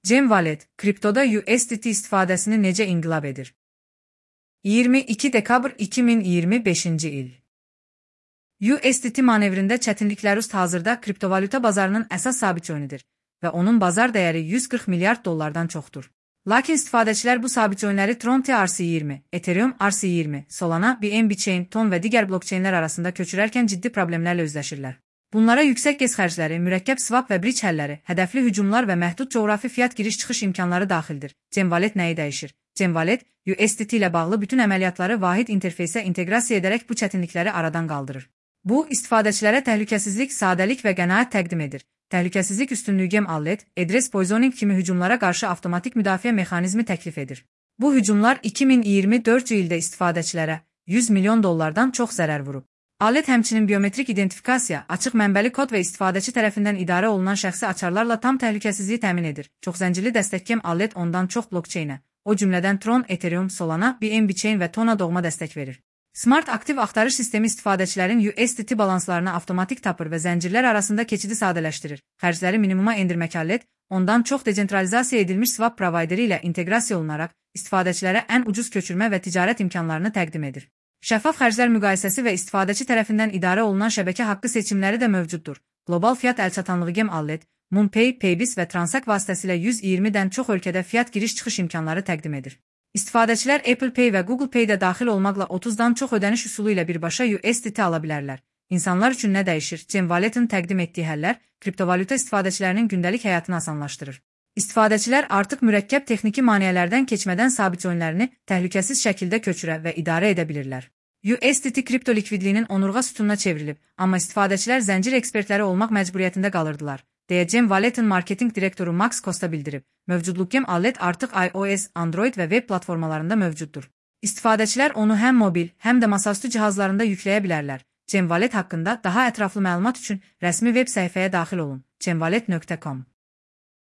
Gem Wallet, kriptoda USDT istifadəsini necə inqilab edir? 22 dekabr 2025-ci il. USDT manevrində çətinliklər üst hazırda kriptovalyuta bazarının əsas sabit yönüdür və onun bazar dəyəri 140 milyard dollardan çoxdur. Lakin istifadəçilər bu sabit yönləri Tron TRC20, Ethereum RC20, Solana, BNB Chain, Ton və digər blokçeynlər arasında köçürərkən ciddi problemlərlə üzləşirlər. Bunlara yüksək gez xərcləri, mürəkkəb swap və bridge həlləri, hədəfli hücumlar və məhdud coğrafi fiat giriş-çıxış imkanları daxildir. Gem Wallet nəyi dəyişir? Gem Wallet, USDT ilə bağlı bütün əməliyyatları vahid interfeysə inteqrasiya edərək bu çətinlikləri aradan qaldırır. Bu, istifadəçilərə təhlükəsizlik, sadəlik və qənaət təqdim edir. Təhlükəsizlik üstünlüyü Gem Wallet, address poisoning kimi hücumlara qarşı avtomatik müdafiə mexanizmi təklif edir. Bu hücumlar 2024-cü ildə istifadəçilərə 100 milyon dollardan çox zərər vurub. Wallet həmçinin biometrik identifikasiya, açıq mənbəli kod və istifadəçi tərəfindən idarə olunan şəxsi açarlarla tam təhlükəsizliyi təmin edir. Çoxzəncirli dəstək Gem Wallet ondan çox blokçeynə, o cümlədən Tron, Ethereum, Solana, BNB Chain və Tona doğma dəstək verir. Smart aktiv axtarış sistemi istifadəçilərin USDT balanslarını avtomatik tapır və zəncirlər arasında keçidi sadələşdirir. Xərcləri minimuma endirmək Wallet, ondan çox decentralizasiya edilmiş swap provideri ilə inteqrasiya olunaraq istifadəçilərə ən ucuz köçürmə və ticarət imkanlarını təqdim edir. Şəffaf xərclər müqayisəsi və istifadəçi tərəfindən idarə olunan şəbəkə haqqı seçimləri də mövcuddur. Qlobal fiat əlçatanlığı Gem Wallet, MoonPay, Paybis və Transact vasitəsilə 120-dən çox ölkədə fiat giriş-çıxış imkanları təqdim edir. İstifadəçilər Apple Pay və Google Pay-də daxil olmaqla 30-dan çox ödəniş üsulu ilə birbaşa USDT ala bilərlər. İnsanlar üçün nə dəyişir? Gem Wallet-in təqdim etdiyi həllər kriptovalyuta istifadəçilərinin gündəlik həyatını asanlaşdırır. İstifadəçilər artıq mürəkkəb texniki maneələrdən keçmədən sabit coinlərini təhlükəsiz şəkildə köçürə və idarə edə bilirlər. USDT kripto likvidliyinin onurğa sütununa çevrilib, amma istifadəçilər zəncir ekspertləri olmaq məcburiyyətində qalırdılar, deyə Gem Wallet-in marketinq direktoru Max Costa bildirib. Mövcudluq Gem Wallet artıq iOS, Android və web platformalarında mövcuddur. İstifadəçilər onu həm mobil, həm də masaüstü cihazlarında yükləyə bilərlər. Gem Wallet haqqında daha ətraflı məlumat üçün rəsmi veb səhifəyə daxil olun: gemwallet.com